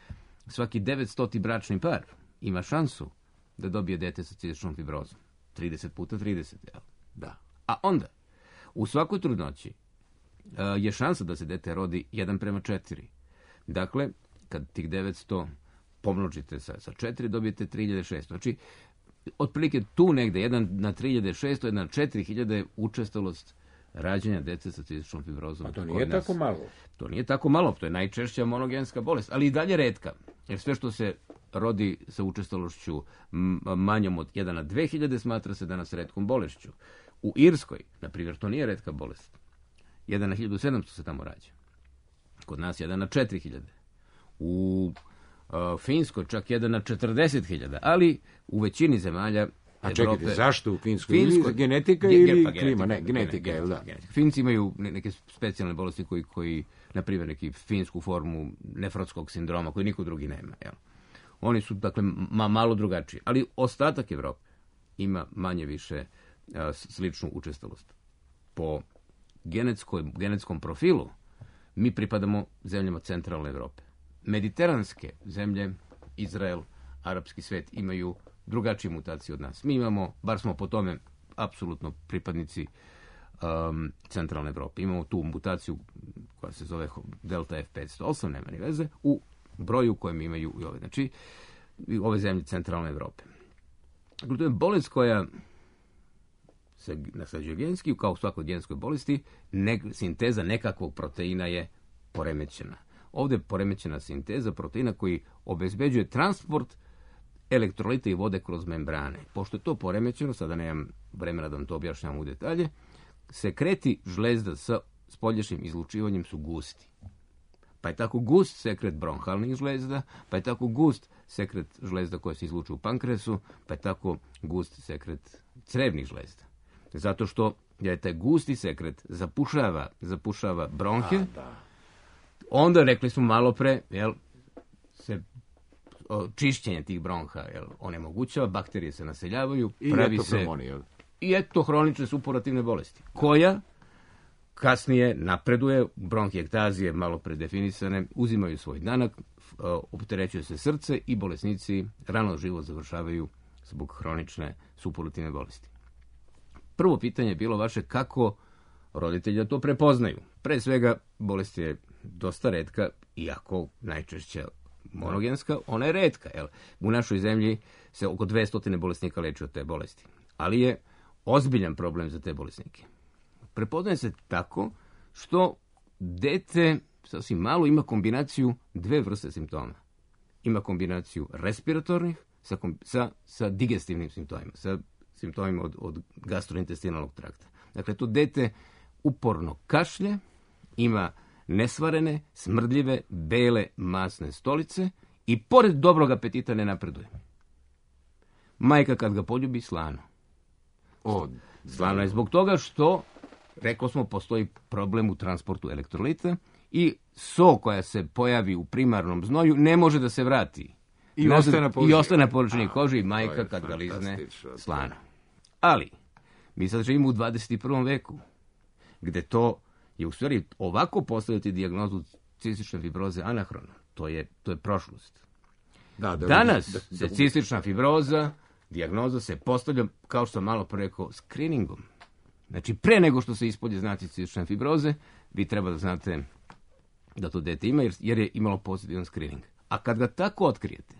svaki devetstoti bračni par ima šansu da dobije dete sa cističnom fibrozom. trideset puta trideset, jel? Da. A onda, u svakoj trudnoći uh, je šansa da se dete rodi jedan prema četiri. Dakle, kad tih devetsto pomnožite sa, sa četiri, dobijete tri hiljade šesto. Znači, otprilike tu negde, jedan na tri hiljade šesto, jedan na četiri hiljade učestalost rađanja dece sa cističnom fibrozom. A to nije tako malo. To nije tako malo, to je najčešća monogenska bolest, ali i dalje retka. Jer sve što se rodi sa učestalošću manjom od jedan na dve hiljade smatra se danas retkom bolešću. U Irskoj, na primjer, to nije retka bolest. jedan na hiljadu sedamsto se tamo rađa. Kod nas jedan na četiri hiljade. U uh, Finskoj čak jedan na četrdeset hiljada, ali u većini zemalja A Evrope... čekajte, zašto u Finskoj? Finskoj... Genetika ili Ge, pa, klima? genetika, Ne, genetika, je da? Genetika. Finci imaju neke specijalne bolesti koji, koji na primjer, neki finsku formu nefrotskog sindroma, koji niko drugi nema. Jel? Oni su, dakle, ma, malo drugačiji. Ali ostatak Evrope ima manje više a, sličnu učestalost. Po genetskoj, genetskom profilu mi pripadamo zemljama centralne Evrope. Mediteranske zemlje, Izrael, arapski svet imaju drugačije mutacije od nas. Mi imamo, bar smo po tome apsolutno pripadnici um, centralne Evrope. Imamo tu mutaciju koja se zove delta F petsto osam, nema ni veze, u broju kojem imaju i ove, znači, i ove zemlje centralne Evrope. Dakle, to je bolest koja se nasleđuje genski, kao u svakoj genskoj bolesti, ne, sinteza nekakvog proteina je poremećena. Ovdje je poremećena sinteza proteina koji obezbeđuje transport elektrolita i vode kroz membrane. Pošto je to poremećeno, sada nemam vremena da vam to objašnjam u detalje, sekreti žlezda sa spoljašnjim izlučivanjem su gusti. Pa je tako gust sekret bronhalnih žlezda, pa je tako gust sekret žlezda koja se izlučuje u pankreasu, pa je tako gust sekret crevnih žlezda. Zato što je taj gusti sekret zapušava, zapušava bronhe, A, da. Onda, rekli smo malo pre, jel, se o, čišćenje tih bronha jel, onemogućava, bakterije se naseljavaju, I pravi se... jel? I eto hronične supurativne bolesti, koja kasnije napreduje, bronhijektazije malo predefinisane, uzimaju svoj danak, opterećuje se srce i bolesnici rano život završavaju zbog hronične supurativne bolesti. Prvo pitanje je bilo vaše kako roditelji da to prepoznaju. Pre svega, bolest je dosta retka, iako najčešća monogenska, ona je retka. Jel? U našoj zemlji se oko dvesta bolesnika leči od te bolesti. Ali je ozbiljan problem za te bolesnike. Prepoznaje se tako što dete sasvim malo ima kombinaciju dve vrste simptoma. Ima kombinaciju respiratornih sa, sa, sa digestivnim simptomima, sa simptomima od, od gastrointestinalnog trakta. Dakle, to dete uporno kašlje, ima nesvarene, smrdljive, bele, masne stolice i pored dobrog apetita ne napreduje. Majka kad ga poljubi, slano. O, slano je zbog toga što, rekao smo, postoji problem u transportu elektrolita i so koja se pojavi u primarnom znoju ne može da se vrati. I Nazad, ostane na površini. I ostane na površini kože i majka kad ga lizne, slano. Ali, mi sad živimo u dvadeset prvom veku, gde to je u stvari ovako postaviti dijagnozu cistične fibroze anahrono. To je, to je prošlost. Da, da, Danas da, da, se cistična fibroza, dijagnoza se postavlja, kao što sam malo pre rekao, screeningom. Znači, pre nego što se ispolje znaci cistične fibroze, vi treba da znate da to dete ima, jer, jer je imalo pozitivan screening. A kad ga tako otkrijete,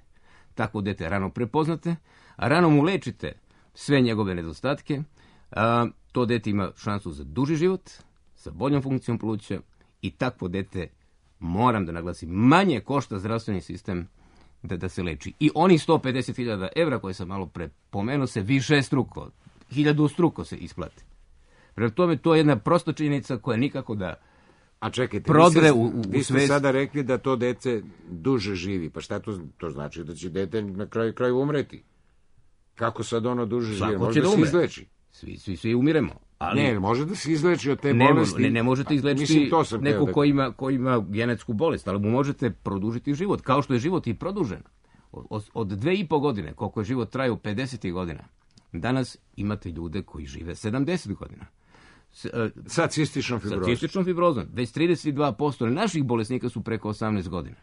takvo dete rano prepoznate, a rano mu lečite sve njegove nedostatke, a, to dete ima šansu za duži život, sa boljom funkcijom pluća i takvo dete, moram da naglasim, manje košta zdravstveni sistem da, da se leči. I oni sto pedeset hiljada evra koje sam malo pre pomenuo se više struko, hiljadu struko se isplati. Prema tome, to je jedna prosta činjenica koja nikako da A čekajte, prodre vi ste, u, u, vi u ste svest. sada rekli da to dete duže živi. Pa šta to, to znači? Da će dete na kraju kraju umreti? Kako sad ono duže živi? Svako Može će da da se umre. izleči? Svi, svi, svi umiremo. Ali Ne, može da se izleči od te ne, bolesti. ne, ne možete izlečiti Mislim, to sam neko hteo da- ko ima, ko ima genetsku bolest, ali mu možete produžiti život, kao što je život i produžen. Od, od dve i po godine, koliko je život trajao pedeset godina, danas imate ljude koji žive sedamdeset godina. S, e, Sa cističnom sa fibrozom. cističnom fibrozom. Već trideset dva posto naših bolesnika su preko osamnaest godina.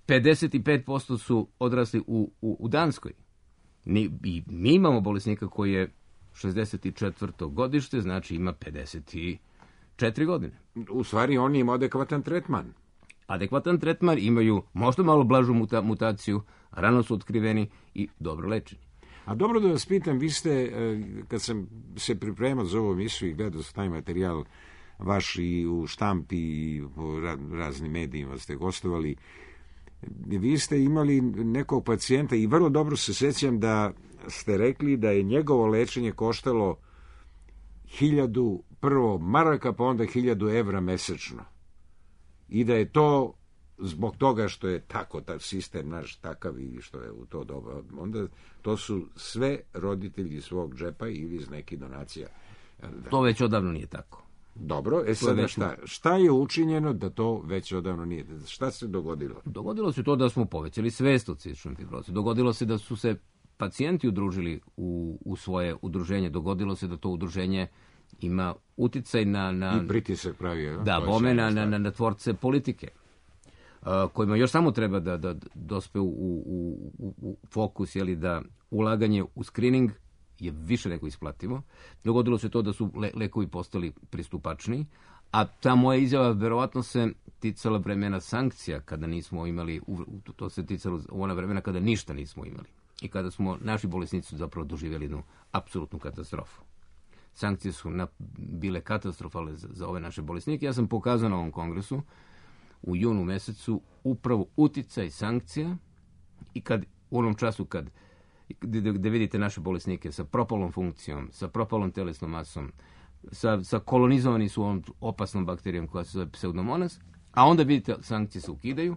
pedeset pet posto su odrasli u, u, u Danskoj. Ni, I mi imamo bolesnika koji je šezdeset četvrto godište, znači ima pedeset četiri godine. U stvari, on ima adekvatan tretman. Adekvatan tretman, imaju možda malo blažu muta, mutaciju, rano su otkriveni i dobro lečeni. A dobro da vas pitam, vi ste, e, kad sam se pripremao za ovu emisiju i gledao sam taj materijal vaš i u štampi i po ra- raznim medijima ste gostovali, vi ste imali nekog pacijenta i vrlo dobro se sjećam da ste rekli da je njegovo lečenje koštalo hiljadu prvo maraka, pa onda hiljadu evra mesečno. I da je to zbog toga što je tako ta sistem naš takav i što je u to doba, onda to su sve roditelji iz svog džepa ili iz nekih donacija. To već odavno nije tako. Dobro, e sada već- šta, šta je učinjeno da to već odavno nije? Šta se dogodilo? Dogodilo se to da smo povećali svest o cističnoj fibrozi. Dogodilo se da su se pacijenti udružili u, u svoje udruženje. Dogodilo se da to udruženje ima uticaj na... na I pritisak pravi, je, Da, to je bome sjajna na, na, stvar. na, na tvorce politike, a, kojima još samo treba da, da dospe u, u, u, u fokus, jeli, da ulaganje u screening je više nego isplativo. Dogodilo se to da su le, lekovi postali pristupačniji, a ta moja izjava verovatno se ticala vremena sankcija, kada nismo imali, u- to se ticalo u ona vremena kada ništa nismo imali i kada smo, naši bolesnici su zapravo doživjeli jednu apsolutnu katastrofu. Sankcije su na, bile katastrofalne za, za ove naše bolesnike. Ja sam pokazao na ovom kongresu u junu mesecu upravo uticaj sankcija i kad u onom času kad gde, gde vidite naše bolesnike sa propalom funkcijom, sa propalom telesnom masom, sa, sa kolonizovani su ovom opasnom bakterijom koja se zove pseudomonas, a onda vidite sankcije se ukidaju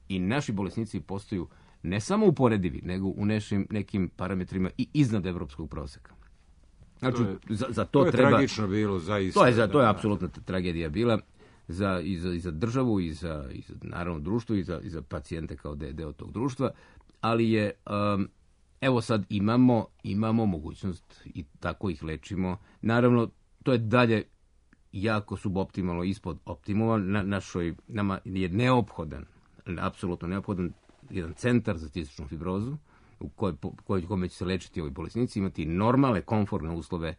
i naši bolesnici postaju ne samo uporedivi, nego u nešim, nekim parametrima i iznad evropskog proseka. Znači, To je- za, za to, To je treba... tragično bilo, zaista. To je, za, to je Da, da. apsolutna tragedija bila za, i, za, i za državu, i za, i za naravno društvo, i za, i za pacijente kao de, deo tog društva, ali je, um, evo sad imamo, imamo mogućnost i tako ih lečimo. Naravno, to je dalje jako suboptimalno ispod optimuma. Na, našoj, nama je neophodan, apsolutno neophodan jedan centar za cističnu fibrozu, u kojoj, koj, kome će se lečiti ovi bolesnici, imati normalne, komfortne uslove.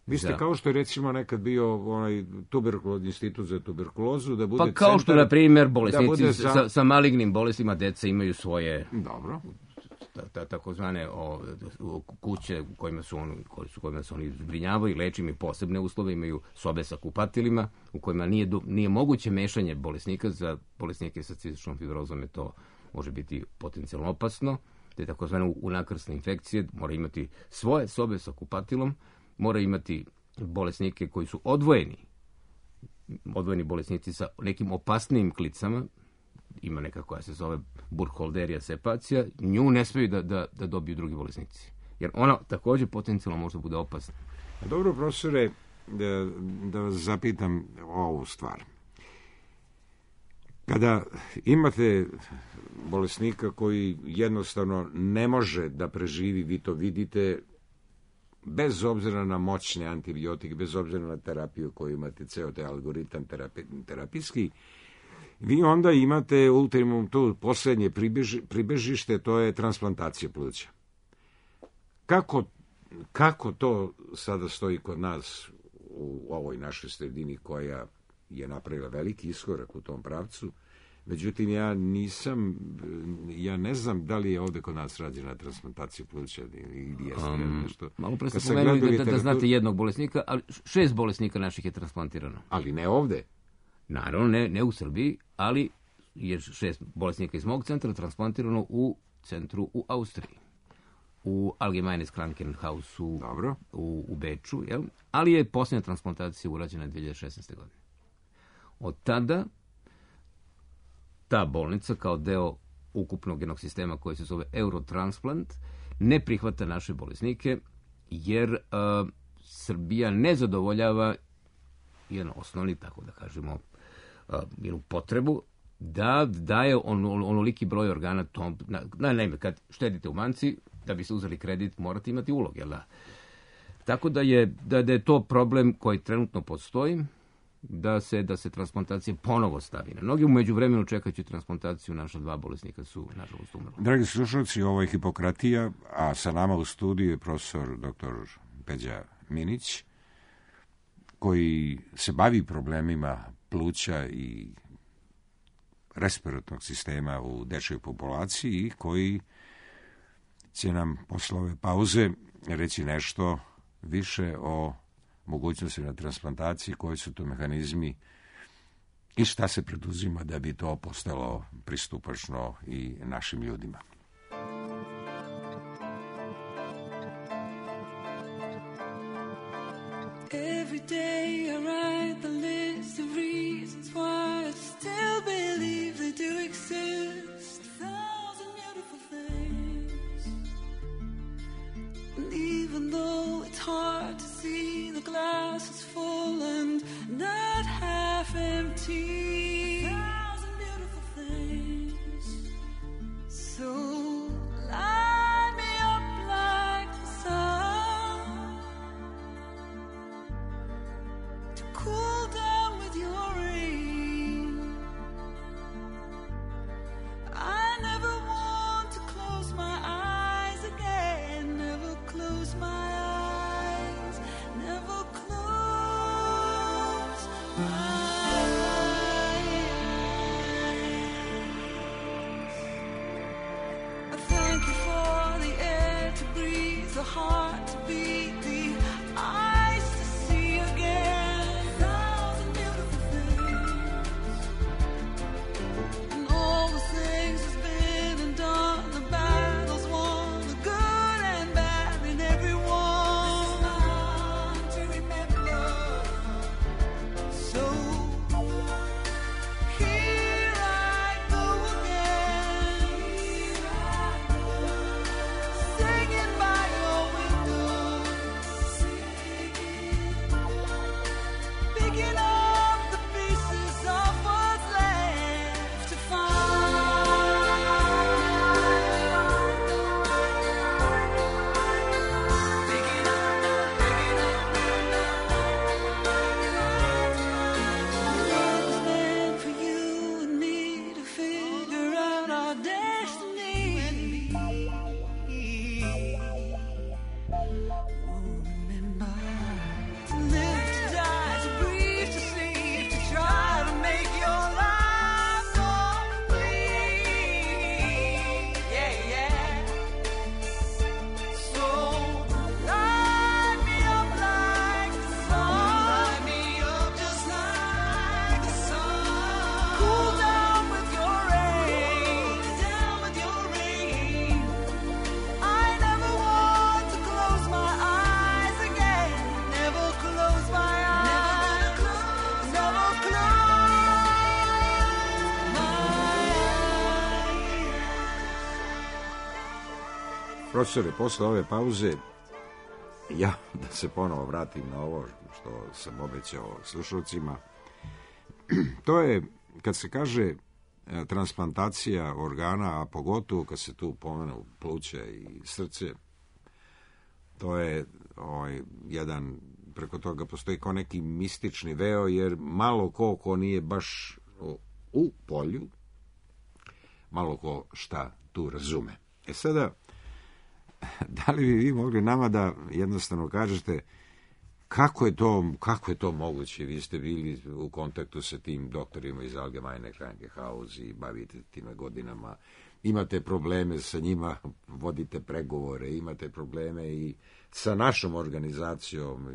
Vi ste za- kao što je recimo nekad bio onaj tuberkulozni institut za tuberkulozu, da bude Pa kao što, centar- na primjer, da bolesnici bude sa, za- sa malignim bolestima, deca imaju svoje Dobro. ta, ta, takozvane o, o, kuće u kojima su, on, koji su, kojima se oni zbrinjavaju, leče, imaju posebne uslove, imaju sobe sa kupatilima u kojima nije, do- nije moguće mešanje bolesnika. Za bolesnike sa cističnom fibrozom je to može biti potencijalno opasno. Te takozvane unakrsne infekcije, mora imati svoje sobe sa kupatilom, mora imati bolesnike koji su odvojeni, odvojeni bolesnici sa nekim opasnijim klicama, ima neka koja se zove Burkholderia sepacija, nju ne smeju da, da, da dobiju drugi bolesnici. Jer ona također potencijalno može bude opasna. Dobro, profesore, da, da vas zapitam ovu stvar. Kada imate bolesnika koji jednostavno ne može da preživi, vi to vidite, bez obzira na moćne antibiotike, bez obzira na terapiju koju imate, ceo taj algoritam terapi, terapijski, vi onda imate ultimum, tu posljednje pribeži, pribežište, to je transplantacija pluća. Kako, kako to sada stoji kod nas u ovoj našoj sredini koja je napravila veliki iskorak u tom pravcu? Međutim, ja nisam, ja ne znam da li je ovde kod nas rađena transplantacija pluća ili jeste um, nešto. Malo pre ste pomenuli da, da, da znate jednog bolesnika, ali šest bolesnika naših je transplantirano. Ali ne ovde? Naravno, ne, ne u Srbiji, ali je šest bolesnika iz mog centra transplantirano u centru u Austriji. U Allgemeines Krankenhausu Dobro. U, u Beču, jel? Ali je posljednja transplantacija urađena dvije hiljade šesnaeste. godine. Od tada ta bolnica kao deo ukupnog jednog sistema koji se zove Eurotransplant ne prihvata naše bolesnike jer uh, Srbija ne zadovoljava jedan osnovni, tako da kažemo, uh, jednu potrebu da daje on, on, onoliki broj organa tom, na, na, naime, kad štedite u banci, da biste uzeli kredit, morate imati ulog, jel da? Tako da je, da, da je to problem koji trenutno postoji, da se, da se transplantacija ponovo stavi na noge. U međuvremenu čekajući transplantaciju naša dva bolesnika su, nažalost, umrli. Dragi slušalci, ovo je Hipokratija, a sa nama u studiju je profesor doktor Peđa Minić, koji se bavi problemima pluća i respiratornog sistema u dečjoj populaciji i koji će nam posle ove pauze reći nešto više o mogućnosti na transplantaciji, koji su to mehanizmi i šta se preduzima da bi to postalo pristupačno i našim ljudima. Every day I write the list of reasons why I still believe they do exist. A thousand beautiful things. And even though it's hard to see, the glass is full and not half empty. A thousand beautiful things. So light me up like the sun, to cool down with your rain. I never want to close my eyes again. Never close my eyes. Never close my eyes. I thank you for the air to breathe, the heart to beat, the eyes to see again. A thousand beautiful things. And all the things that's been and done, the battles won, the good and bad in everyone. To remember. So here I go again, singing by your window, picking up the pieces of what's left to find. Picking up, picking up, love was meant for you and me to figure out our destiny. Remember to live, to die, to breathe, to sleep, to try to make your life complete. Yeah, yeah. So light me up like the sun. Light me up just like the sun. Cool down with your rain. Down with your rain. I never want to close my eyes again. Never close my eyes. Never close my eyes. Profesore, posle ove pauze, ja da se ponovo vratim na ovo što sam obećao slušalcima, to je, kad se kaže e, transplantacija organa, a pogotovo kad se tu pomenu pluća i srce, to je ovaj, jedan, preko toga postoji kao neki mistični veo, jer malo ko ko nije baš u, u polju, malo ko šta tu razume. E sada, da li bi vi mogli nama da jednostavno kažete kako je to, kako je to moguće? Vi ste bili u kontaktu sa tim doktorima iz Allgemeine Krankenhaus i bavite time godinama. Imate probleme sa njima, vodite pregovore, imate probleme i sa našom organizacijom,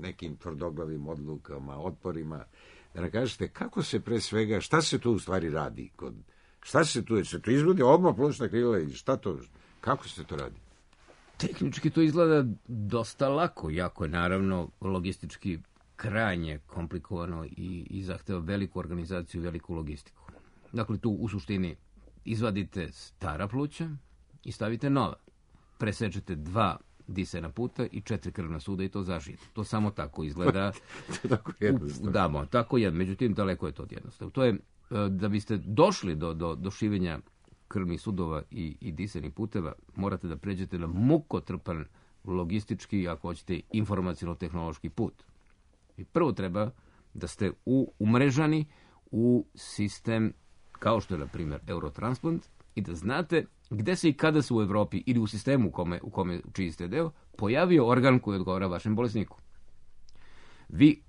nekim tvrdoglavim odlukama, otporima. Da ne kažete, kako se pre svega, šta se tu u stvari radi? Kod, šta se tu, se tu izvodi odmah plućna krila ili šta to, kako se to radi? Tehnički to izgleda dosta lako, jako je naravno logistički krajnje komplikovano i, i zahteva veliku organizaciju, veliku logistiku. Dakle, tu u suštini izvadite stara pluća i stavite nova. Presečete dva disajna puta i četiri krvna suda i to zažijete. To samo tako izgleda. To tako jednostavno. Da, tako je, međutim, daleko je to od jednostavno. To je, da biste došli do, do, do šivenja krvnih sudova i, i disajnih puteva, morate da pređete na mukotrpan logistički, ako hoćete, informaciono-tehnološki put. I prvo treba da ste u, umrežani u sistem kao što je, na primjer, Eurotransplant i da znate gde se i kada se u Evropi ili u sistemu u kome, u kome čiji ste deo, pojavio organ koji odgovara vašem bolesniku. Vi,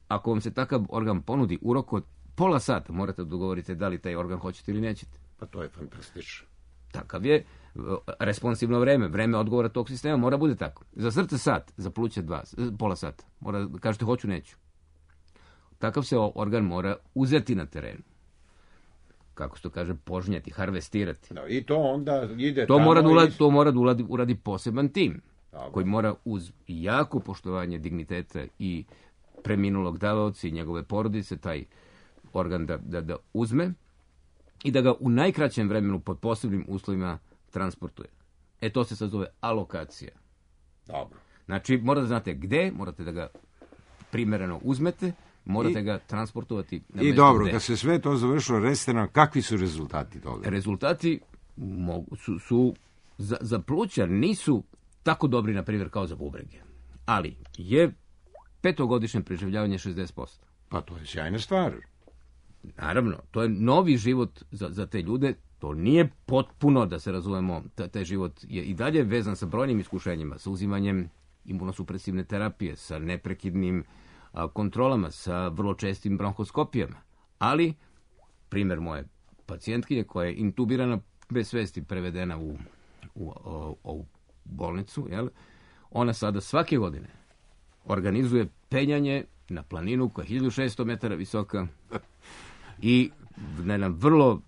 ako vam se takav organ ponudi u roku od pola sata, morate da dogovorite da li taj organ hoćete ili nećete. Pa to je fantastično. Takav je responsivno vreme, vreme odgovora tog sistema mora bude tako. Za srce sat, za pluće dva, pola sata. Mora da kažete hoću, neću. Takav se organ mora uzeti na terenu. Kako se to kaže, požnjati, harvestirati. No, i to onda ide to tamo. Mora da uradi, i... To mora da uradi, uradi poseban tim, Dobro. Koji mora uz jako poštovanje digniteta i preminulog davaoca i njegove porodice taj organ da, da, da uzme i da ga u najkraćem vremenu pod posebnim uslovima transportuje. E to se sad zove alokacija. Dobro. Znači, morate da znate gde, morate da ga primereno uzmete, morate I, ga transportovati na I mesto dobro, gde. kad se sve to završilo, recite nam kakvi su rezultati toga? Rezultati mogu, su, su za, za pluća nisu tako dobri, na primjer, kao za bubrege. Ali je petogodišnje preživljavanje šezdeset posto. Pa to je sjajna stvar. Naravno, to je novi život za, za te ljude. To nije potpuno, da se razumemo, taj život je i dalje vezan sa brojnim iskušenjima, sa uzimanjem imunosupresivne terapije, sa neprekidnim a, kontrolama, sa vrlo čestim bronhoskopijama. Ali, primjer moje pacijentkinje koja je intubirana bez svesti, prevedena u, u, u, u bolnicu, jel? Ona sada svake godine organizuje penjanje na planinu koja je hiljadu šesto metara visoka i na jedan vrlo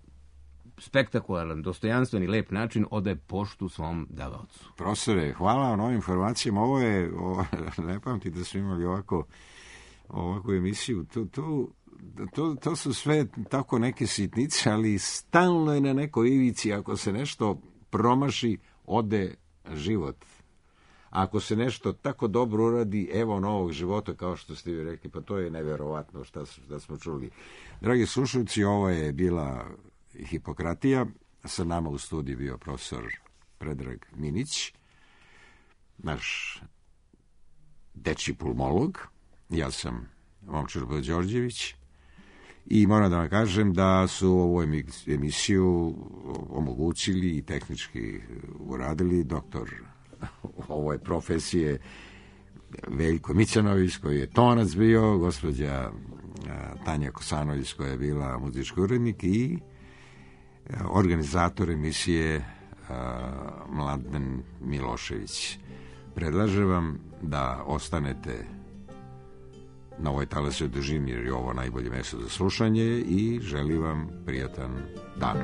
spektakularan, dostojanstven i lep način odaje poštu svom davaocu. Profesore, hvala vam na ovim informacijama. Ovo je, ovo, ne pamtim da smo imali ovako, ovakvu emisiju. To, to, to, to su sve tako neke sitnice, ali stalno je na nekoj ivici. Ako se nešto promaši, ode život. Ako se nešto tako dobro uradi, evo novog života, kao što ste vi rekli, pa to je neverovatno šta, šta smo čuli. Dragi slušalci, ovo je bila Hipokratija. Sa nama u studiju bio profesor Predrag Minić, naš dečji pulmolog. Ja sam Momčilo Đorđević i moram da vam kažem da su ovu emisiju omogućili i tehnički uradili doktor ove profesije Veljko Micanović, koji je tonac bio, gospođa Tanja Kosanović, koja je bila muzički urednik, i organizator emisije Mladen Milošević. Predlažem vam da ostanete na ovoj talasnoj dužini, jer je ovo najbolje mesto za slušanje, i želim vam prijatan dan.